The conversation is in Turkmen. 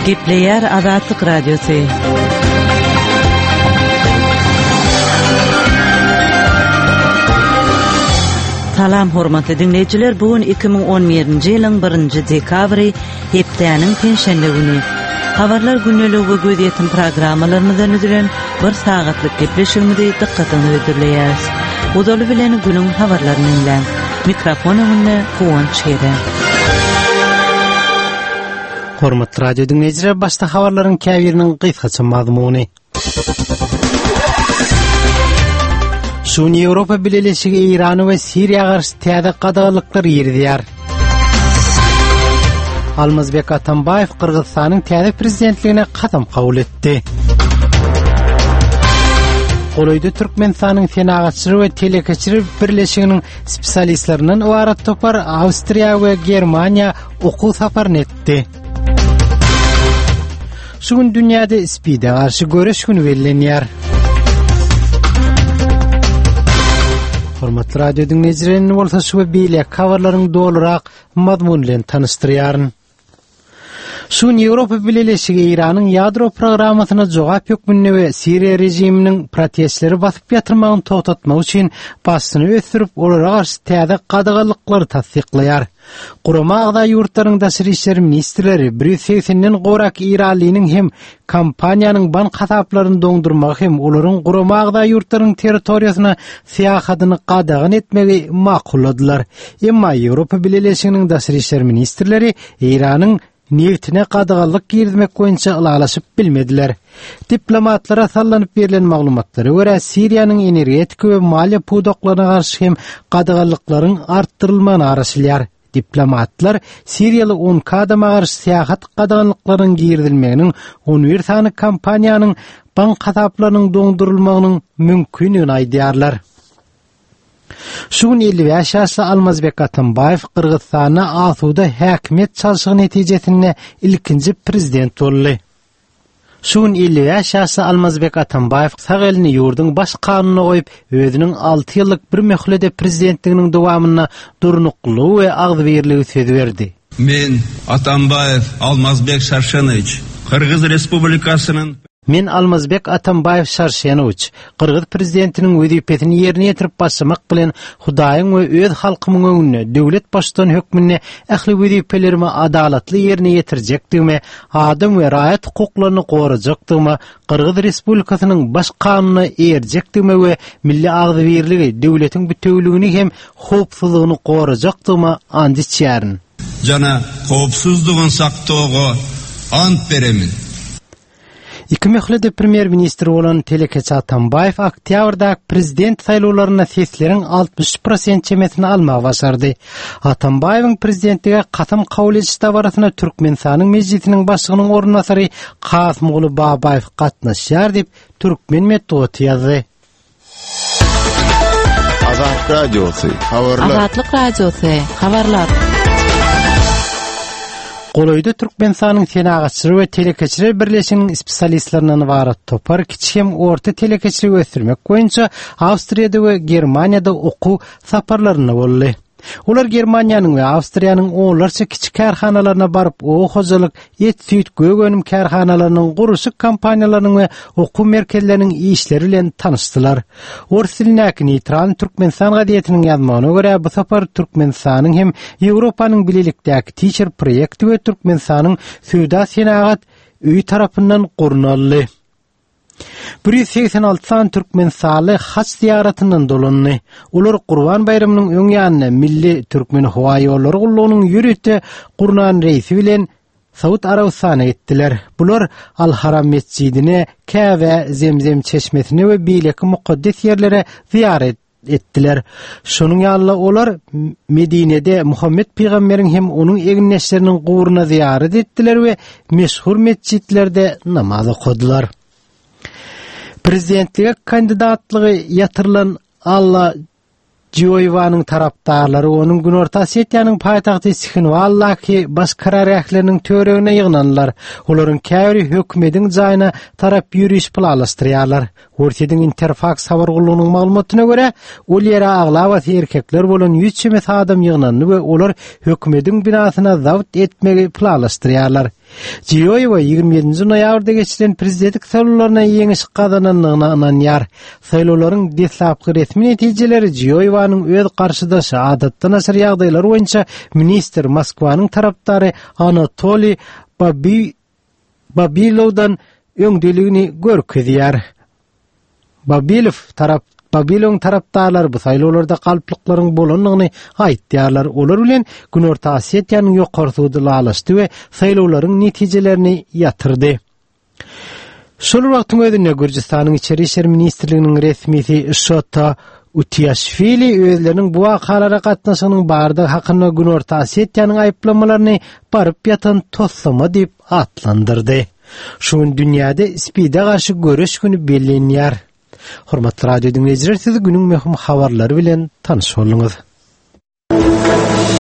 Gepleýär Azatlyk Radiosy. Salam hormatly diňleýjiler, bu gün 2011-nji ýylyň 1-nji dekabry, hepdäniň penşenbe güni. Habarlar gündeligi we gözýetim programmalarymyzdan düzülen bir sagatlyk gepleşigimizi dykgatyňyza hödürleýäris. Ozaly bilen günüň habarlaryny diňläň. Mikrofon öňünde Guwanç Gede. Hormatly radio diňleýjiler, başda habarlaryň käbiriniň gysgaça mazmuny. Şu gün Ýewropa Bileleşigi Eýrana we Siriýa garşy täze gadaganlyklar girizýär. Almazbek Atambaýew Gyrgyzystanyň täze prezidentligine kasam kabul etdi. Golaýda Türkmenistanyň Senagatçylar we telekeçiler birleşiginiň spesialistlerinden ybarat topar Awstriýa we Germaniýa okuw saparyny etdi. Şu gün dünýäde SPID-e garşy göreş güni bellenýär. Hormatly radio diňleýjiler, indi bolsa şu we beýleki habarlaryň dolurak mazmuny bilen tanyşdyrýaryn. Şu gün Ýewropa Bileleşigi Eýranyň ýadro programmasyna jogap hökmünde we Siriýa režiminiň protestleri basyp ýatyrmagyny togtatmak üçin basyşyny ösdürip, olara garşy täze gadaganlyklary tassyklaýar. Gurama agza ýurtlaryň daşary işler ministrleri 180-den gowrak eýranlynyň hem kompaniýanyň bank hasaplaryny doňdurmagy hem olaryň gurama agza ýurtlaryň territoriýasyna syýahadyny gadagan etmegi makulladylar. Emma Ýewropa Bileleşiginiň daşary işler ministrleri Eýranyň nebtine gadaganlyk girizmek boýunça ylalaşyp bilmediler. Diplomatlara sallanyp berlen maglumatlara görä, Siriýanyň energetika we maliýe pudaklaryna garşy hem gadaganlyklaryň artdyrylmagyna garaşylýar. Diplomatlar siriýaly 12 adama garşy syýahat gadaganlyklarynyň girizilmeginiň 11 sany kompaniýanyň bank hasaplarynyň doňdurylmagynyň mümkindigini aýdýarlar. Şu gün 55 ýaşly Almazbek Atambaýew Gyrgyzystanda asuda häkimiýet çalşygy netijesinde ilkinji prezident boldy. Şu gün 55 ýaşly Almazbek Atambaýew sag elini ýurduň baş kanunyna goýup, özüniň 6 ýyllyk bir möhlede prezidentliginiň dowamynda durnuklylygy we agzybirligi söz berdi. Men, Atambaýew Almazbek Şarşenowiç, Gyrgyz Respublikasynyň. Men Almazbek Atambaýew Şarşenowiç, gyrgyz prezidentiniň wezipesini ýerine ýetirip başlamak bilen Hudaýyň we öz halkymyň öňünde döwlet baştutany hökmünde ähli wezipelerimi adalatly ýerine ýetirjekdigime, adam we raýat hukuklaryny gorajakdygyma, Gyrgyz Respublikasynyň Baş Kanunyna eýerjekdigime we milli agzybirligi, döwletiň bitewüligini hem howpsuzlygyny gorajakdygyma ant içýärin. Jana howpsuzlygyny saktoga ant beremin. Iki möhletde premýer-ministr bolan telekeçi Atambaýew oktýabrdaky prezident saýlawlarynda sesleriň 63 prosent çemesini almagy başardy. Atambaýewiň prezidentlige kasam kabul ediş dabarasyna Türkmenistanyň Mejlisiniň başlygynyň orunbasary Kasymguly Babaýew gatnaşýar diýip, türkmen metbugaty ýazdy. Azatlyk Radiosy, habarlar. Azatlyk Radiosy, habarlar. Golaýda Türkmenistanyň Senagatçylar we telekeçiler birleşiginiň spesialistlerinden ybarat topar kiçi hem orta telekeçiligi ösdürmek boýunça Awstriýada we Germaniýada okuw saparlarynda boldy. Olar Germaniýanyň we Awstriýanyň onlarça kiçi kärhanalaryna baryp, oba hojalyk, et-süýt, gök önüm kärhanalarynyň, gurluşyk kompaniýalarynyň we okuw merkezleriniň işleri bilen tanyşdylar. Ors dilindäki Neýtral Türkmenistan gazetiniň ýazmagyna görä, bu sapar Türkmenistanyň hem Ýewropanyň bilelikdäki Teacher proýekti we Türkmenistanyň Söwda-senagat öýi tarapyndan gurnaldy. 186 sany türkmenistanly haç zyýaratyndan dolandy. Olar Gurban baýramynyň öň ýanynda Milli Türkmenhowaýollary gullugynyň ýörite gurnan reýsi bilen Saud Arabystanyna gitdiler. Bular Al-Haram metjidine, Käbä, Zemzem çeşmesine we beýleki mukaddes ýerlere zyýarat etdiler. Şonuň ýaly-da olar Medinede Muhammet pygamberiň hem onuň egindeşleriniň guburyna zyýarat etdiler we meşhur metjitlerde namaz okadylar. Prezidentlige kandidatlygy ýatyrylan Alla Jioýewanyň tarapdarlary onuň Günorta Osetiýanyň paýtagty Sihinwaldaky baş karargähleriniň töweregine ýygnandylar. Olaryň käbiri hökümediň jaýyna tarap ýöriş planlaşdyrýarlar. Orsýetiň Interfaks habar gullugynyň maglumatyna görä, ol ýere aglabasy erkekler bolan 100 çemesi adam ýygnandy we olar hökümediň binasyna zabt etmegi planlaşdyrýarlar. Jiýoýewa 27-nji noýabrda geçirilen prezidentlik saýlawlarynda ýeňiş gazanandygyna ynanýar. Saýlawlaryň deslapky resmi netijeleri Jiýoýewanyň öz garşydaşy, adatdan daşary ýagdaýlar boýunça ministr, Moskwanyň tarapdary Anatoliý Babi Babilowdan öňdeligini görkezýär. Babilow tarap Babilowyň tarapdarlary bu saýlawlarda galplyklaryň bolandygyny aýtýarlar. Olar bilen Günorta Osetiýanyň ýokary sudy ylalaşdy we saýlawlaryň netijelerini ýatyrdy. Şol bir wagtyň özünde Gürjüstanyň Içeri işler ministrliginiň resmisi Şota Utiaşwili özleriniň bu wakalara gatnaşygynyň bardygy hakynda Günorta Osetiýanyň aýyplamalaryny baryp ýatan toslama diýip atlandyrdy. Şu gün dünýäde SPID-e garşy göreş güni bellenýär. Hormatly radio diňleýjiler, siz günüň möhüm habarlary bilen tanyş bolduňyz.